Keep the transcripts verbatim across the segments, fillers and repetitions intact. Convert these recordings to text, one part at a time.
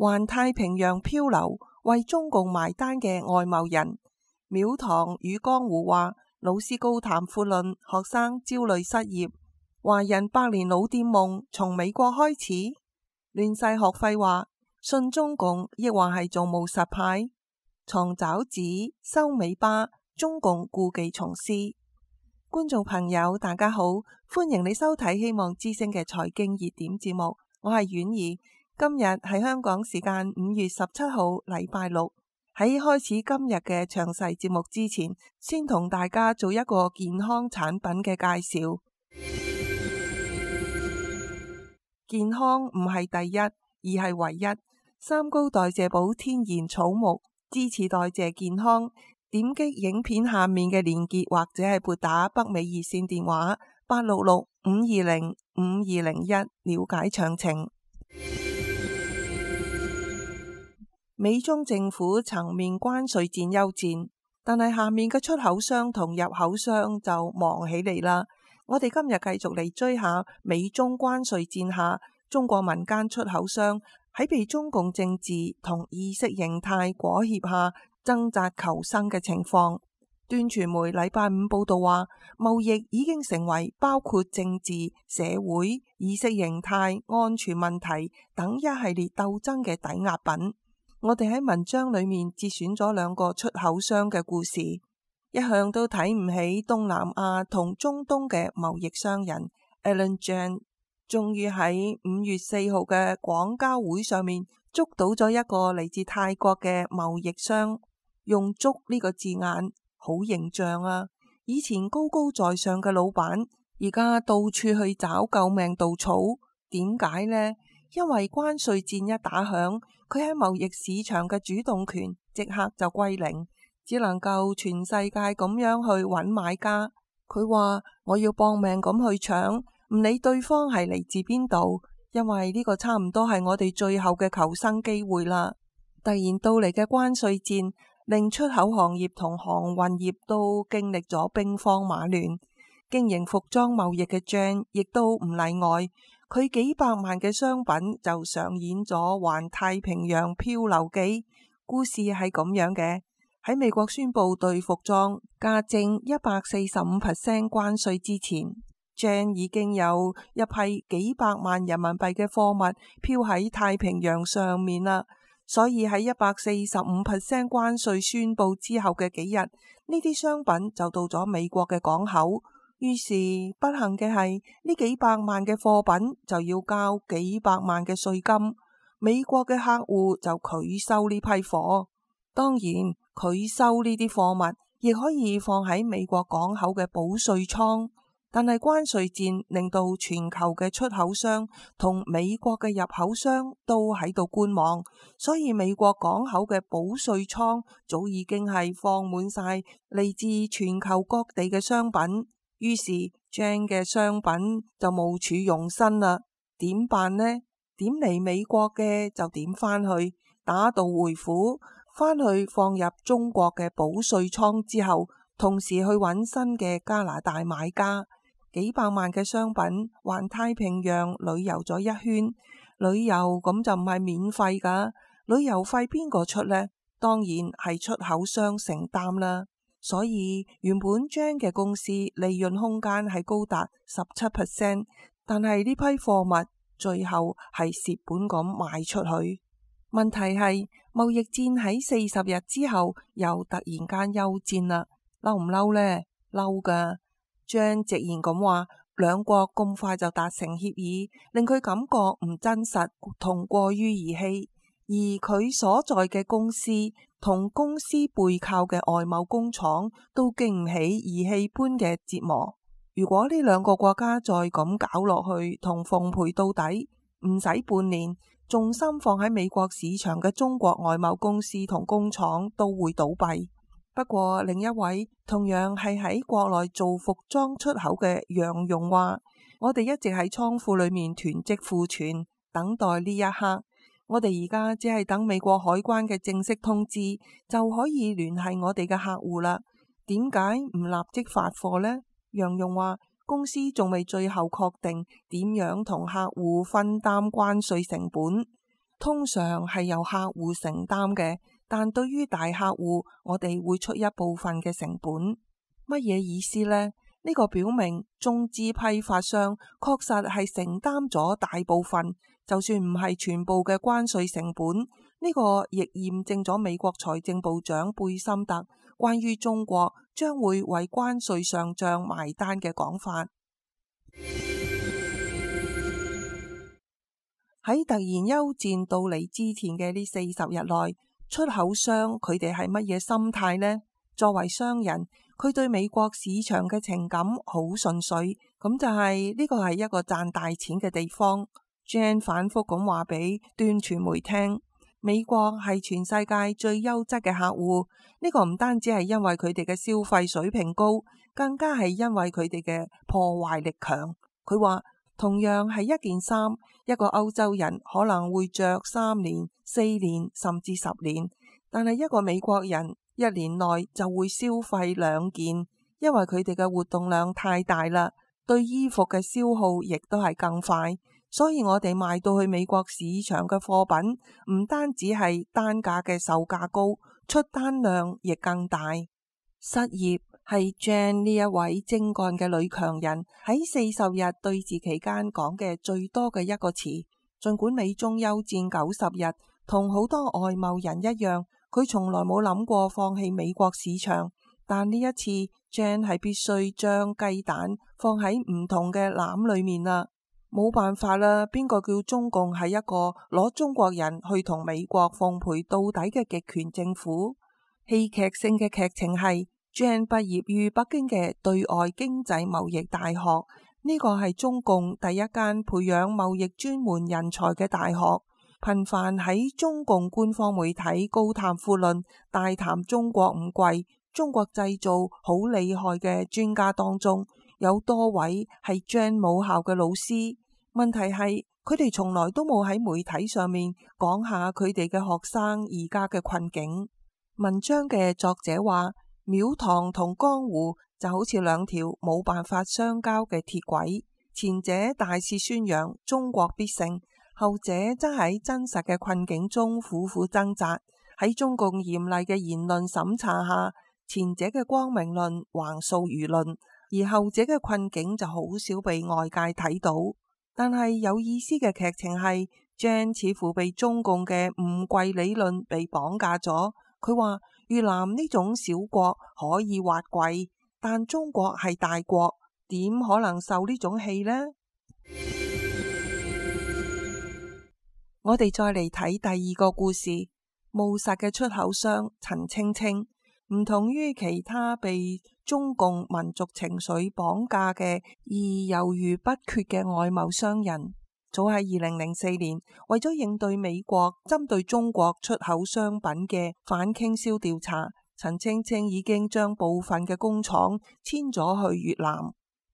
環太平洋漂流為中共埋單嘅外貿人。廟堂與江湖話，老師高談闊論，學生焦慮失業。華人百年老店夢從美國開始。亂世學費話，信中共亦或係做務實派。藏爪子收尾巴，中共故技重施。觀眾朋友大家好，歡迎你收睇希望之聲嘅財經熱點節目，我係婉兒。今日係香港時間五月十七號禮拜六。喺開始今日嘅詳細節目之前，先同大家做一個健康產品嘅介紹。健康唔係第一，而係唯一。三高代謝寶天然草木，支持代謝健康。點擊影片下面嘅連結，或者係撥打北美熱線電話八六六五二零五二零一了解詳情。美中政府層面關稅戰休戰，但係下面嘅出口商同入口商就忙起嚟啦。我哋今日繼續嚟追下美中關稅戰下，中國民間出口商喺被中共政治同意識形態裹挾下掙扎求生嘅情況。端傳媒禮拜五報道話，貿易已經成為包括政治、社會、意識形態、安全問題等一系列鬥爭嘅抵押品。我哋喺文章裏面節選咗兩個出口商嘅故事。一向都睇唔起東南亞同中東嘅貿易商人 Alan Zhang， 終於喺五月四號嘅廣交會上面捉到咗一個嚟自泰國嘅貿易商。用捉呢個字眼好形象啊！以前高高在上嘅老闆，而家到處去找救命稻草。點解呢？因為關稅戰一打響，佢喺貿易市場嘅主動權即刻就歸零，只能夠全世界咁樣去揾買家。佢話我要搏命咁去搶，唔理對方係嚟自邊度，因為呢個差唔多係我哋最後嘅求生機會啦。突然到嚟嘅關稅戰令出口行業同航運業都經歷咗兵荒馬亂，經營服裝貿易嘅 Zhang 亦都唔例外。佢幾百萬嘅商品就上演咗環太平洋漂流記。故事係咁樣嘅：喺美國宣布對服裝加徵一百四十五 percent 關稅之前， Zhang 已經有一批幾百萬人民幣嘅貨物漂喺太平洋上面啦。所以喺一百四十五 percent 關稅宣布之後嘅幾日，呢啲商品就到咗美國嘅港口。於是不幸嘅係，呢幾百萬嘅貨品就要交幾百萬嘅稅金。美國嘅客戶就拒收呢批貨。當然，拒收呢啲貨物亦可以放喺美國港口嘅保稅倉。但係關稅戰令到全球嘅出口商同美國嘅入口商都喺度觀望，所以美國港口嘅保稅倉早已經係放滿晒嚟自全球各地嘅商品。於是 Zhang 嘅商品就無處容身啦。點辦呢？點嚟美國嘅就點返去，打道回府，返去放入中國嘅保稅倉之後，同時去揾新嘅加拿大買家。幾百萬嘅商品環太平洋旅遊咗一圈，旅遊咁就唔係免費㗎，旅遊費邊個出呢？當然係出口商承擔啦。所以原本 Zhang 嘅公司利潤空間係高達十七 percent， 但係呢批貨物最後係蝕本咁賣出去。問題係貿易戰喺四十日之後又突然間休戰啦，嬲唔嬲呢？嬲㗎。Zhang 直言咁話，兩國咁快就達成協議，令佢感覺唔真實同過於兒戲。而佢所在嘅公司同公司背靠嘅外貿工廠都經唔起兒戲般嘅折磨。如果呢兩個國家再咁搞落去，同奉陪到底，唔使半年，重心放喺美國市場嘅中國外貿公司同工廠都會倒閉。不過另一位同樣係喺國內做服裝出口嘅楊勇話，我哋一直喺倉庫裏面囤積庫存，等待呢一刻。我哋而家只係等美國海關嘅正式通知，就可以聯繫我哋嘅客戶啦。點解唔立即發貨呢？楊勇話，公司仲未最後確定點樣同客戶分擔關稅成本。通常係由客戶承擔嘅，但對於大客戶，我哋會出一部分嘅成本。乜嘢意思呢？呢個表明中資批發商確實係承擔咗大部分，就算唔係全部嘅關稅成本。呢個亦驗證咗美國財政部長貝森特關於中國將會為關稅上漲埋單嘅講法。喺突然休戰到嚟之前嘅呢四十日內，出口商佢哋係乜嘢心態呢？作為商人，佢對美國市場嘅情感好純粹，咁就係呢個係一個賺大錢嘅地方。Jan 反覆咁話俾端傳媒聽，美國係全世界最優質嘅客戶。呢個唔單止係因為佢哋嘅消費水平高，更加係因為佢哋嘅破壞力強。佢話同樣係一件衫，一個歐洲人可能會着三年、四年甚至十年，但係一個美國人一年內就會消費兩件，因為佢哋嘅活動量太大啦，對衣服嘅消耗亦都係更快。所以我哋賣到去美國市場嘅貨品，唔單止係單價嘅售價高，出單量亦更大。失業係 Jan 呢一位精幹嘅女強人喺四十日對峙期間講嘅最多嘅一個詞。儘管美中休戰九十日，同好多外貿人一樣，佢從來冇諗過放棄美國市場，但呢一次 Jan 係必須將雞蛋放喺唔同嘅籃裏面啦。冇辦法啦，邊個叫中共係一個攞中國人去同美國奉陪到底嘅極權政府？戲劇性嘅劇情係 Jan 畢業於北京嘅對外經濟貿易大學，呢個係中共第一間培養貿易專門人才嘅大學。頻繁喺中共官方媒體高談闊論，大談中國唔貴，中國製造好厲害嘅專家當中，有多位係 Jan 母校嘅老師。問題係佢哋從來都冇喺媒體上面講下佢哋嘅學生而家嘅困境。文章嘅作者話，廟堂同江湖就好似兩條冇辦法相交嘅鐵軌，前者大肆宣揚中國必勝，後者則喺真實嘅困境中苦苦掙扎。喺中共嚴厲嘅言論審查下，前者嘅光明論橫掃輿論，而後者嘅困境就好少被外界睇到。但係有意思嘅劇情係 Jan 似乎被中共嘅唔貴理論被綁架咗。佢話越南呢種小國可以挖貴，但中國係大國，點可能受呢種氣呢？我哋再嚟睇第二個故事，務實嘅出口商陳青青。唔同於其他被中共民族情緒綁架嘅而猶豫不決嘅外貿商人，早喺二零零四年，為咗應對美國針對中國出口商品嘅反傾銷調查，陳青青已經將部分嘅工廠遷咗去越南。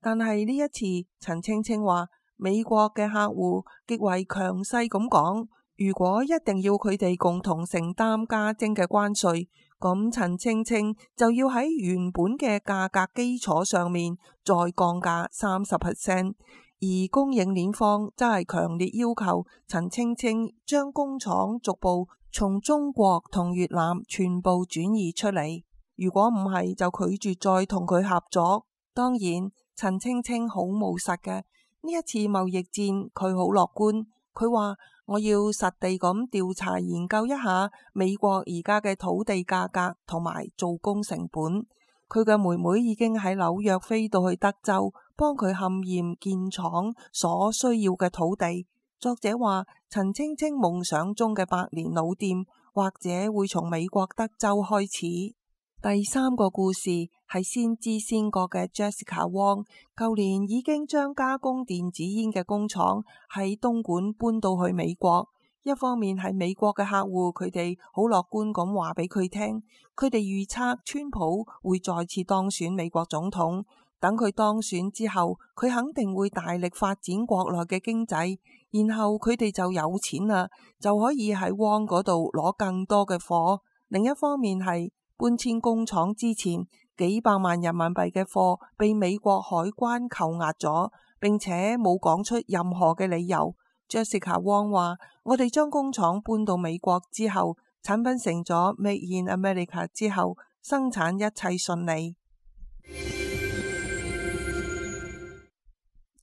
但係呢一次，陳青青話美國嘅客戶極為強勢咁講，如果一定要佢哋共同承擔加徵嘅關稅，咁陳青青就要喺原本嘅價格基礎上面再降價三十 percent， 而供應鏈方則係強烈要求陳青青將工廠逐步從中國同越南全部轉移出嚟，如果唔係就拒絕再同佢合作。當然，陳青青好務實嘅，呢一次貿易戰佢好樂觀，佢話我要實地咁調查研究一下美國而家嘅土地價格同埋做工成本。佢嘅妹妹已經喺紐約飛到去德州，幫佢勘驗建廠所需要嘅土地。作者話，陳青青夢想中嘅百年老店，或者會從美國德州開始。第三個故事係先知先覺嘅 Jessica Wong， 舊年已經將加工電子煙嘅工廠喺東莞搬到去美國。一方面係美國嘅客戶，佢哋好樂觀咁話俾佢聽，佢哋預測川普會再次當選美國總統，等佢當選之後，佢肯定會大力發展國內嘅經濟，然後佢哋就有錢啦，就可以喺 Wong 嗰度攞更多嘅貨。另一方面係搬遷工廠之前，幾百萬人民幣嘅貨被美國海關扣押咗，並且冇講出任何嘅理由。Jessica Wong 話：我哋將工廠搬到美國之後，產品成咗 Made in America 之後，生產一切順利。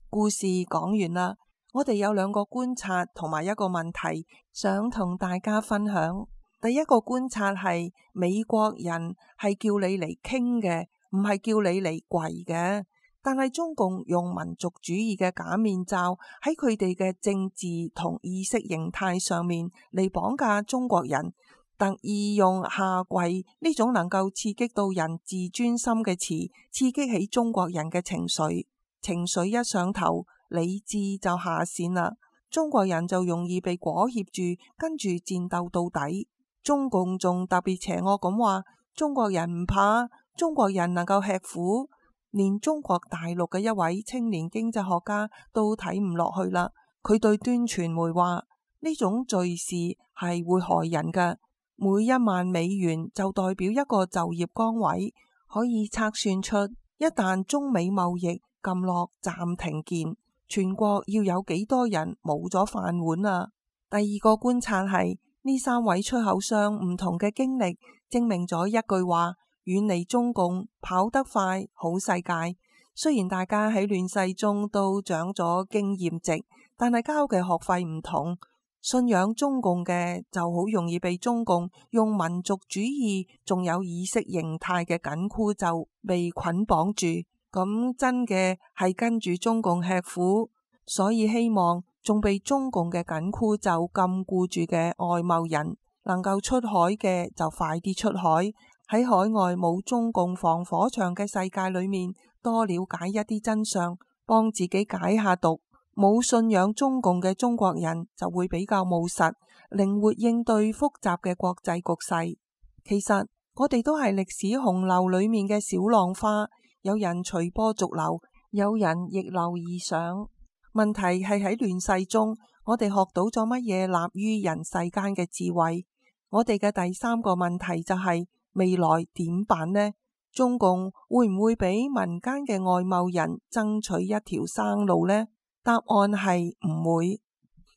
故事講完啦，我哋有兩個觀察同埋一個問題想同大家分享。第一個觀察係美國人係叫你嚟傾嘅，唔係叫你嚟跪嘅。但係中共用民族主義嘅假面罩喺佢哋嘅政治同意識形態上面嚟綁架中國人，特意用下跪呢種能夠刺激到人自尊心嘅詞，刺激起中國人嘅情緒。情緒一上頭，理智就下線啦，中國人就容易被裹挾住，跟住戰鬥到底。中共仲特別邪惡咁話，中國人唔怕，中國人能夠吃苦。連中國大陸嘅一位青年經濟學家都睇唔落去啦，佢對端傳媒話：呢種敘事係會害人嘅，每一萬美元就代表一個就業崗位，可以測算出一旦中美貿易撳落暫停鍵，全國要有幾多人冇咗飯碗啊！第二個觀察係呢三位出口商唔同嘅經歷，證明咗一句話：遠離中共，跑得快，好世界。雖然大家喺亂世中都長咗經驗值，但係交嘅學費唔同。信仰中共嘅就好容易被中共用民族主義仲有意識形態嘅緊箍咒被捆綁住。咁真嘅係跟住中共吃苦，所以希望仲被中共嘅緊箍咒禁錮住嘅外貿人能夠出海嘅就快啲出海。喺海外冇中共防火牆嘅世界裏面，多了解一啲真相，幫自己解下毒。冇信仰中共嘅中國人就會比較務實，靈活應對複雜嘅國際局勢。其實我哋都係歷史洪流裏面嘅小浪花，有人隨波逐流，有人逆流而上。問題係喺亂世中，我哋學到咗乜嘢立於人世間嘅智慧？我哋嘅第三個問題就係、是。未來點辦呢？中共會唔會俾民間嘅外貿人爭取一條生路呢？答案係唔會。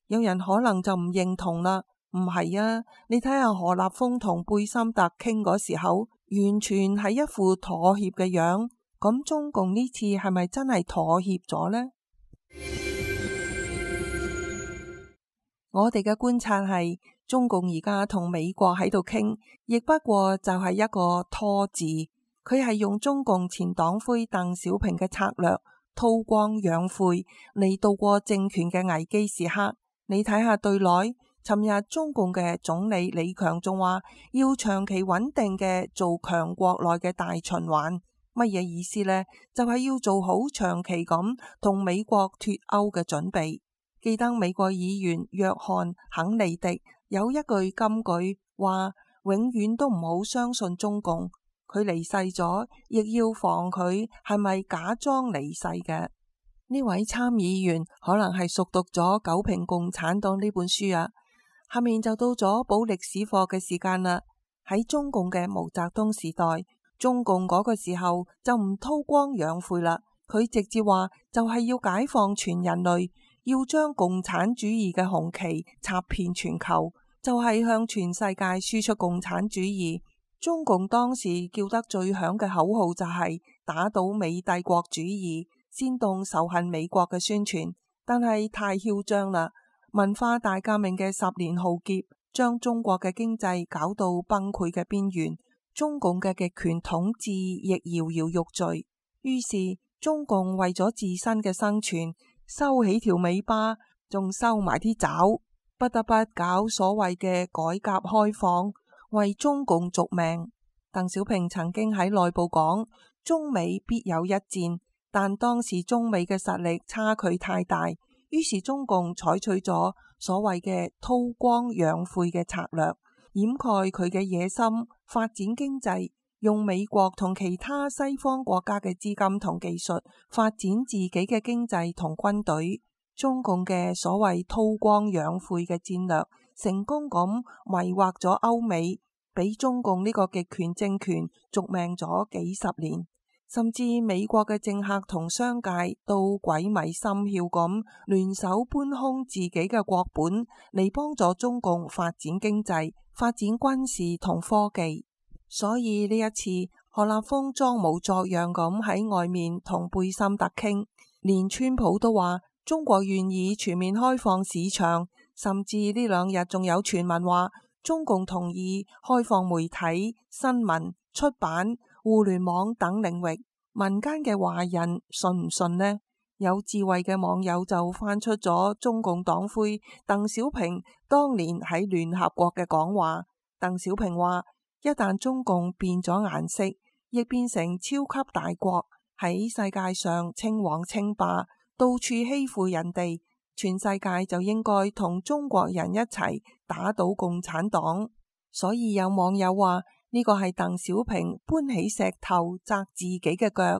有人可能就唔認同啦，唔係啊？你睇下何立峰同貝森特傾嗰時候，完全係一副妥協嘅樣。咁中共呢次係咪真係妥協咗呢？我哋嘅觀察係，中共而家同美國喺度傾，亦不過就係一個拖字。佢係用中共前黨魁鄧小平嘅策略，韜光養晦嚟度過政權嘅危機時刻。你睇下對內，尋日中共嘅總理李強仲話要長期穩定嘅做強國內嘅大循環。乜嘢意思呢？就係要做好長期咁同美國脫歐嘅準備。記得美國議員約翰肯尼迪有一句金句話：永遠都唔好相信中共。佢離世咗，亦要防佢係咪假裝離世嘅。呢位參議員可能係熟讀咗《九評共產黨》呢本書啊。下面就到咗補歷史課嘅時間啦。喺中共嘅毛澤東時代，中共嗰個時候就唔韜光養晦啦，佢直接話就係要解放全人類。要將共產主義嘅紅旗插遍全球，就係向全世界輸出共產主義。中共當時叫得最響嘅口號就係打倒美帝國主義，煽動仇恨美國嘅宣傳。但係太囂張啦！文化大革命嘅十年浩劫，將中國嘅經濟搞到崩潰嘅邊緣，中共嘅極權統治亦搖搖欲墜。於是中共為咗自身嘅生存，收起條尾巴，仲收埋啲爪，不得不搞所謂嘅改革開放，為中共續命。鄧小平曾經喺內部講，中美必有一戰，但當時中美嘅實力差距太大，於是中共採取咗所謂嘅韜光養晦嘅策略，掩蓋佢嘅野心，發展經濟，用美國同其他西方國家嘅資金同技術發展自己嘅經濟同軍隊。中共嘅所謂韜光養晦嘅戰略，成功咁迷惑咗歐美，俾中共呢個極權政權續命咗幾十年。甚至美國嘅政客同商界都鬼迷心竅咁聯手搬空自己嘅國本嚟幫助中共發展經濟、發展軍事同科技。所以呢一次何立峰裝模作樣咁喺外面同貝森特傾，連川普都話中國願意全面開放市場，甚至呢兩日仲有傳聞話中共同意開放媒體、新聞、出版、互聯網等領域。民間嘅華人信唔信呢？有智慧嘅網友就翻出咗中共黨魁鄧小平當年喺聯合國嘅講話。鄧小平話：一旦中共變咗顏色，亦變成超級大國，喺世界上稱王稱霸，到處欺負人哋，全世界就應該同中國人一齊打倒共產黨。所以有網友話呢個係鄧小平搬起石頭砸自己嘅腳。《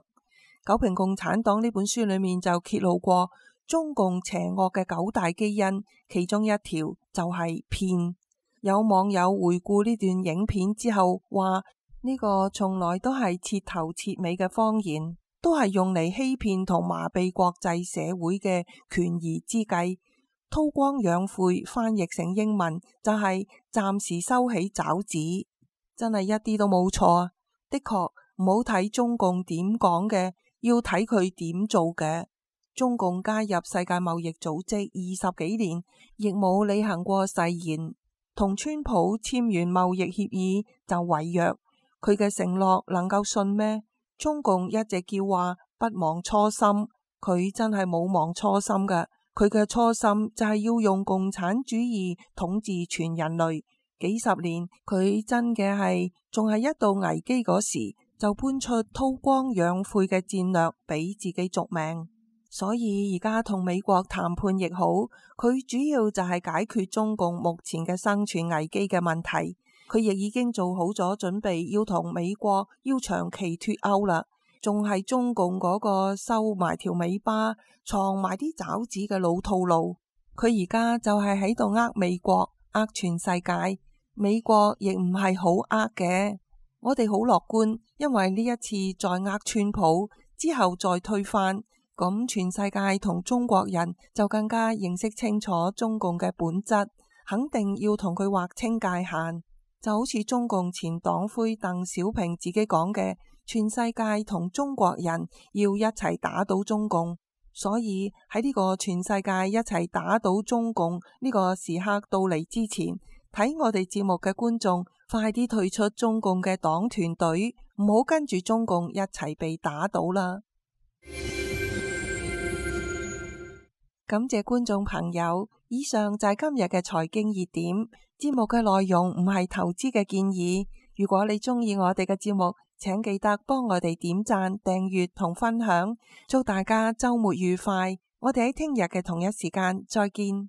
九評共產黨》呢本書裏面就揭露過中共邪惡嘅九大基因，其中一條就係騙。有網友回顧呢段影片之後話，呢個從來都係徹頭徹尾嘅謊言，都係用嚟欺騙同麻痹國際社會嘅權宜之計。韜光養晦翻譯成英文就係暫時收起爪子，真係一啲都冇錯。的確唔好睇中共點講嘅，要睇佢點做嘅。中共加入世界貿易組織二十幾年，亦冇履行過誓言，同川普簽完貿易協議就違約，佢嘅承諾能夠信咩？中共一直叫話不忘初心，佢真係冇忘初心嘅。佢嘅初心就係要用共產主義統治全人類。幾十年，佢真嘅係仲係一到危機嗰時就搬出韜光養晦嘅戰略俾自己續命。所以而家同美國談判亦好，佢主要就係解決中共目前嘅生存危機嘅問題。佢亦已經做好咗準備，要同美國要長期脫歐啦。仲係中共嗰個收埋條尾巴、藏埋啲爪子嘅老套路。佢而家就係喺度呃美國、呃全世界。美國亦唔係好呃嘅，我哋好樂觀，因為呢一次再呃川普之後再推翻，咁全世界同中國人就更加認識清楚中共嘅本質，肯定要同佢劃清界限。就好似中共前黨魁鄧小平自己講嘅，全世界同中國人要一齊打倒中共。所以喺呢個全世界一齊打倒中共呢個時刻到嚟之前，睇我哋節目嘅觀眾快啲退出中共嘅黨團隊，唔好跟住中共一齊被打倒啦。感謝觀眾朋友，以上就係今日嘅財經熱點。節目嘅內容唔係投資嘅建議。如果你鍾意我哋嘅節目，請記得幫我哋點讚、訂閱同分享。祝大家週末愉快！我哋喺聽日嘅同一時間再見。